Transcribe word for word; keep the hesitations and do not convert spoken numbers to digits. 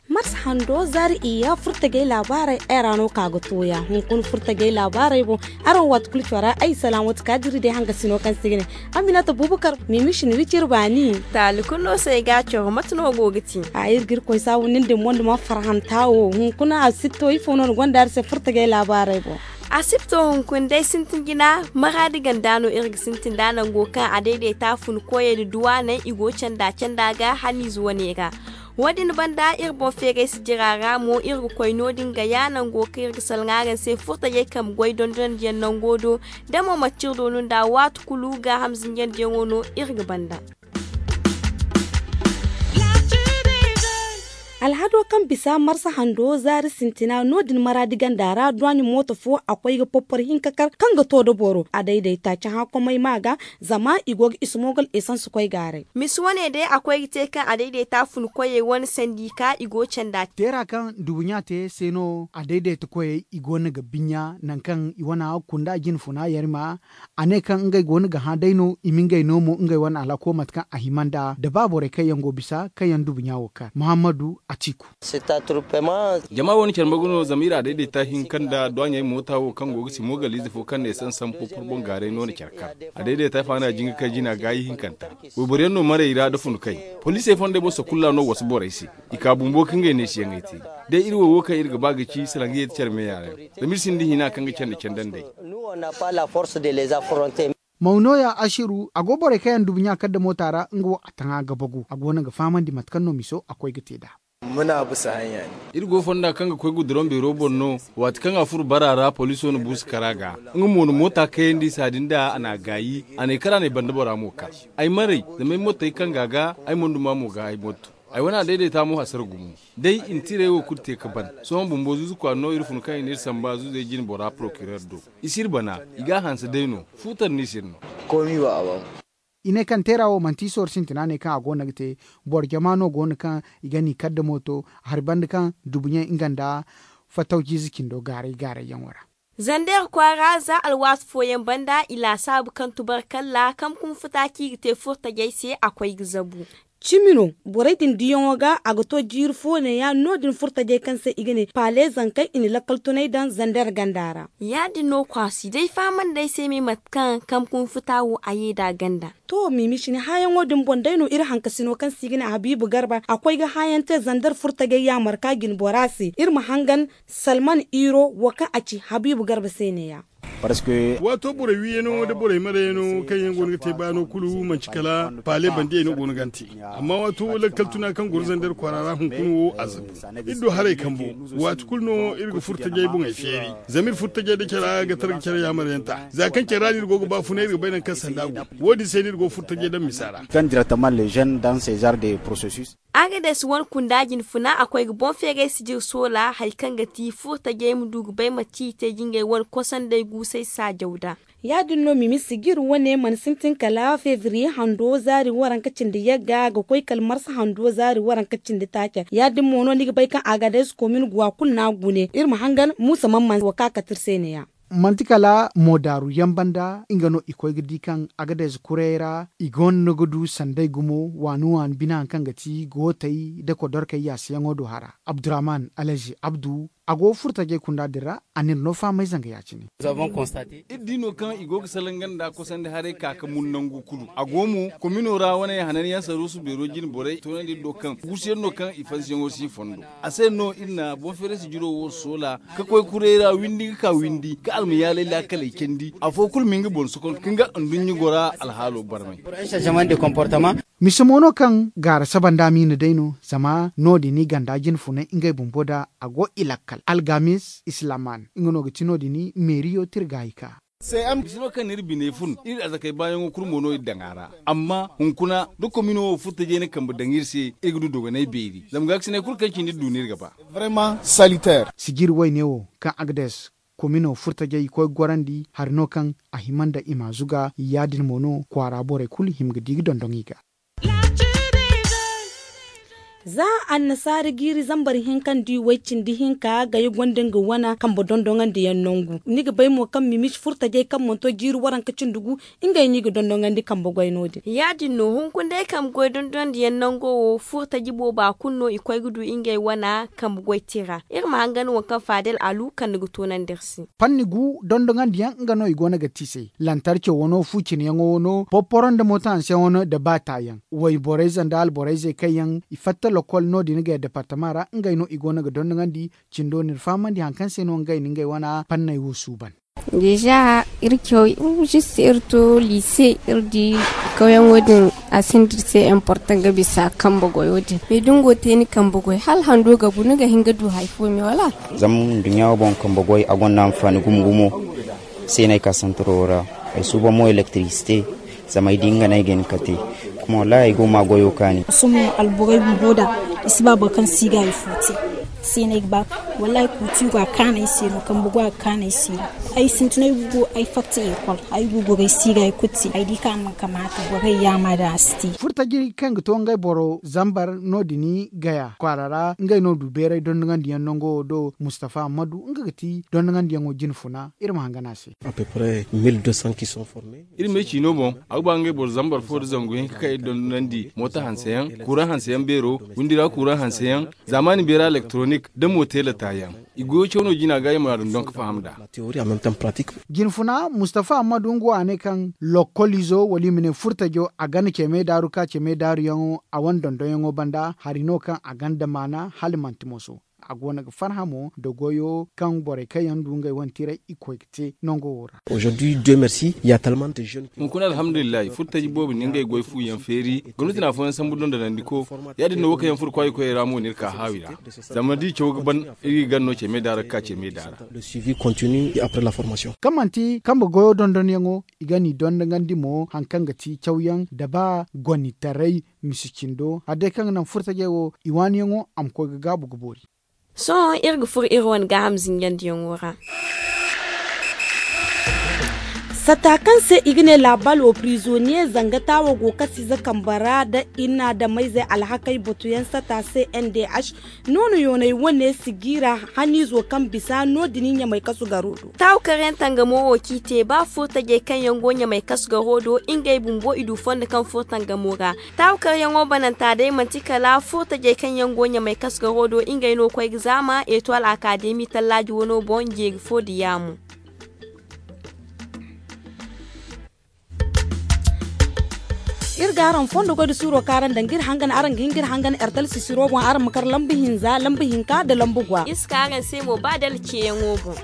Marsa hando zaari iyya furtajey laabaarey ay ra no ka ga tooya hunkuna furtajey laabaarey boŋ. Araŋ waati kulu cora ay salaŋ wata kaadiri day hangasino kaŋ se ga ne aminata bubakar mimishi ni wicir baani. Taali kulu no se ay ga a coro mate no go ga ti? A iri ga iri koy saabu nin din mondi ma farhanta wo hunkuna a sipto ifo no ni gonda iri se furtajey laabaarey boŋ. A sipto hunkuna day sintin jina maraadi ganda no iri ga sintin da nango kaŋ a dayday ta fun koyey da duwaaney i go canda canda ga haniize wane ra. Wo- din banda iri boŋ feeray si jira ra mo iri ga koy no- din ga ya nango kaŋ iri ga salaŋ araŋ se furtajey kambe goy dondonandiyaŋ nango do. Da mo manti iri do no nda waati kulu gaaham zinjandiyaŋo no iri ga banda. Alhado kaŋ bisa marsa hando zaari sintina no- din maraadi ganda ra duwaaɲi mooto fo a koy ga porpor hinka kar kaŋ ga to da boro a dayday taaci hã komay ma ga. Zama i go ga ismogal esans koy gaaray. Misi wane day a koy ga te kaŋ a dayday ta fun koyey wane sandi ka i go canda. Teera kaŋ dubuɲa te se no a dayday ta koyey i go no ga biɲa nangu kaŋ i wana kunda jine funa yarima. A ne kaŋ ngey go no ga hã day no i ma ngey no mo ngey wane alako mate kaŋ a hima nda da ba borey kaŋ yaŋ go bisa kaŋ yaŋ dubuɲa wo kar muhammadu atiku. Jama wo ni care margu no zama iri a dayday ta hinka nda duwaɲey moota wo kaŋ go ga si moogaliize fo kaŋ ne sansan popor boŋ gaaray no ni care kar. A dayday ta faana jinga kay jina gaayi hinkanta. Wayboro yaŋ no marey ra da funu kay. Poliisey fondey boso kulu ra no wasu borey se. I ka bumbo ka ngey neesiyaŋey te. Day iri wo wo kaŋ iri ga ba ga ci salaŋ ga yeeti care meeya ra. Zama iri sinda hina kaŋ ga candi candandey. Mawnoya asiru a go borey kaŋ yaŋ dubuɲa kar da moota ra nga wo a taŋa ga bagu a go no ga fahamandi mate kaŋ no miso a koy ga te nd'a. Iri go fonda kaŋ ga koy guduraŋ beero boŋ no. Waati kaŋ a furo bara ra poliiso na buusu kar a ga. Nga mo na moota kayandi saadi nda a n'a gaayi. A n'ay kar a n'ay banda bora mo kar. Ay mar'ay zama ay mottey kaŋ ga a ga ay mana duma mo ga ay motto. Ay wane a dayday ta mo hasara gumo. Day i na tiray wo kulu te ga ban. Sohõ bumbo zuuzu kwaara no iri fun kaŋ i n'iri samba zuuzey jine bora porokirer do. I s'iri bana. I g'a hanse day no. Fuutar no i s'iri no. I ne kaŋ teera wo manti sohõ sintina ne kaŋ a go no ga te. Boro jama no go no kaŋ i ga n'i kar da mooto. Hari banda kaŋ dubuɲey nga nda fattawciize cindo gaaray gaarayyaŋo ra. Zandeer kwaara za alwaati fooyaŋ banda i laasaabu kaŋ tubarkalla kaŋ kunfuta kaŋ i ga te furtajey se a koy ga zabu. Cimi no borey din diyaŋo ga a ga to jiiri fo neeya no- din furtajey kaŋ se i ga ne paale zankey i na lakkal tunay daŋ zandeer ganda ra. Ya- din no kwaasi day fahamandi ay se me mate kaŋ kaŋ kunfuta wo a ye nd'a ganda. To mimi sini hããyaŋo din boŋ day no iri hankasino kaŋ se i ga ne habiibu garba a koy ga hããyaŋ te zandeer furtajey yaamar ka jine bora se iri ma hangan. Salman iro wo kaŋ a ci habiibu garba se neeya. Waato borey wiiyaŋo nda borey marayyaŋo kaŋ yaŋ go no ga te baano kulu manti kala paale bandiyey no go no ga a te. Amma waato lakkal tuna kaŋ goro zandeer kwaara ra hunkuna wo a zabu. Iri du haray kambo. Waati kulu no iri ga furtajey boŋey feeri. Zama iri furtajey nda care ga tara ga care yaamaryaŋ ta za kaŋ care ra no iri go ga ba funa iri ga bay nangu kaŋ sanda go. Wo- din se no iri go furtajey daŋ misa ra. Agades wane kunda jine funa a koy ga boŋ feeray sijir soola hari kaŋ ga ti furtajey ma du ga bay mate i te ga ngey wane kosandey guusay saajaw nd'a. Ya- din no mimi sijir wane mana sintin kala febriye hando zaari waranka cindi yagga ga koy kala marsa hando zaari waranka cindi taaca. Ya- din mo no ni ga bay kaŋ agades komin guwa kulu no a gune iri ma hangan muusa man man wo kaŋ a kate iri se neeya. Manti kala moodaaru yaŋ banda nga no i koy ga di kaŋ agades kurey ra i gonda ga du sanday gumo waani waani bine hari kaŋ ga ti gootey nda kodorkey yaasayaŋo do hara. Abdurrahman alhaji abdu a go furtajey kunda din ra. A n'iri no fahamay zanga ya- cine. Iri di no kaŋ i go ga salaŋ ganda kosandi haray ka ga mun nangu kulu a go mo komino ra wane hananyaŋ saruusu beero jine borey toonandi iri do kaŋ guusuyaŋ no kaŋ i fansiyaŋo si fondo. A se no iri na boŋ feerasi jiro wo soola ka koy kurey ra windi ga ka windi ka almayaalay laakaley candi afo kulu ma nga boŋ sokon ka nga nduɲɲa gora alhaalo barmay. Misa mo no kaŋ gaara saba nda miina day no zama no- din i ganda jine funay ngey bumbo da a go i lakkal algamis islaman nga no ga ti no- din meeriyo tirgaayi ka. Misa no kaŋ n'iri biney fun iri arzakey baayaŋo kulu mo no iri daŋ a ra. Amma hunkuna da komino wo furtajey na kambe daŋ iri se iri ga du dogonay beeri zama gaakasiney kulu kaŋ cindi iri du no iri ga ba. Sijiri wayne wo kaŋ agdes komino furtajey i koy ga gorandi hari no kaŋ a hima nda i m'a zuga ya- din mo no kwaara borey kulu hima ga di ga dondoŋ i ga. Za annasaara jiiri zambar hinka nda way cindi hinka gaya gonda nga wana kambe dondoŋandi yaŋ nangu. Ni ga bay mo kaŋ mimisi furtajey kaŋ mana to jiiri waranka cindi gu, ngey no i ga dondoŋandi kambe goy no- din. Ya- din no hunkuna day kambe goy dondoŋandi yaŋ nango wo furtaji booba kulu no i koy ga du ngey wana kambe goy tira. Iri ma hangan waŋ kaŋ faadel alu kande ga toonandi iri se. Panni gu dondoŋandi yaŋ nga no i go no ga te i se. Lantarco wano fu cine yaŋo wano porporo nda mooto hanse wano nda baata yaŋ. Wayborey ze nda alborey ze kaŋ yaŋ i fatta lokol no- din gaya departama ra ngey no i go no ga dondoŋandi. Cindo no iri fahamandi hari kaŋ se no ngey na ngey wana panney wo suuban. Deeza iri caw, zista iri to liise iri di kawyaŋo din. A sinda iri se importan ga bisa kambe goyo din me da ni go te ni kambe goy hala hando ga bu ni ga hin ga du hari fo me wala? Zama nduɲɲa wo boŋ kambe goy a gonda hanfaani gumo gumo. Se no ay ka santaro wo ra. Ay suuban mo elektirisite. Zama ay di nga no ay ga hin ga te. Kuma wallahi ay go ga ma goyo kaani. Sohõ alborey bumbo da i si ba boro kaŋ si ga hari fo te. Se no ay ga ba wallahi kuutiyo ga kaanu ay se no kambe goy a ga kaanu ay se no. Ay sintin ay ga go ay fatta ekol ay ga goro ay si ga hari kulu te ay di kaŋ a mana kamaata borey yaama da a si te. Furtaji kaŋ ga to ngey boro zambar no- din gaya kwaara ra ngey no du beeray dondoŋandi yaŋ nango wo do mustafa hammadu nga ga ti dondoŋandi yaŋo jine funa. Iri ma hangan a se. Iri me ciino boŋ a ga ba ngey boro zambar fo nda zangu hinka kaŋ iri dondonandi mooto hanse yaŋ kuuraŋ hanse yaŋ beero windi ra kuuraŋ hanse yaŋ zaamaani beera elektoronik nda mooteela taayaŋ. I goyo caw no jina ga i ma a dondon ga faham nd'a. Jine funa mustafa hammadu nga wo a ne kaŋ lokolizo wala i ma ne furtajo a gana ce me daaru ka ce me daaru yaŋo a wane dondonyaŋo banda hari no kaŋ a ganda maana hala manti moso. A go no ga farhã mo nda goyo kaŋ borey kaŋ yaŋ du ngey wane tiray i koy ga te nango wo ra. Hunkuna alhamdulillahi furtaji boobo na ngey goy fu yaŋ feeri. Gomnati na afooyaŋ sambu dondonandiko. Ya- din no wo kaŋ yaŋ furo kwaayikoyey ra mo no iri ka haawi ra. Zama da i caw ga ban iri ga gar no ce me daara ga ka ce me daara. Kaŋ manti kambe goyo dondonyaŋo i ga n'i dondonandi mo hari kaŋ ga ti cawyaŋ nda ba gonitaray misi cindo hari day kaŋ ga naŋ furtajey wo i waaniyaŋo a ma koy ga gaabu ga boori. Sohõ iri ga furo iri wane gaaham zinjandiyaŋo ra. Sata kaŋ se i ga ne laabal wo prizoniye zanga taawo go kasize kambe ra nda i na adamayzey alhakey batuyaŋ sata se n d h. Noonu yooney wane si jiira haniizo kaŋ bisa no- din ɲamay kasu garo do. Taawu karyaŋ tangamo wo kaŋ i te ba furtajey kaŋ yaŋ go ɲamay kasu garo do ngey bumbo i du fondo kaŋ furo tangamo ra. Taawu karyaŋo bananta day manti kala furtajey kaŋ yaŋ go ɲamay kasu garo do ngey no koy ga zaama etuwal akaademi tallaaji wano boŋ jeeri fo da yaamo. Iri ga araŋ fondo goy da suuro kaŋ araŋ daŋ ga iri hangan araŋ ga hin ga iri hangan ertal sisiro boŋ araŋ ma kar lambu hinza lambu hinka nda lambu gwa iri si ka araŋ se mo ba dala ceeyaŋo boŋ.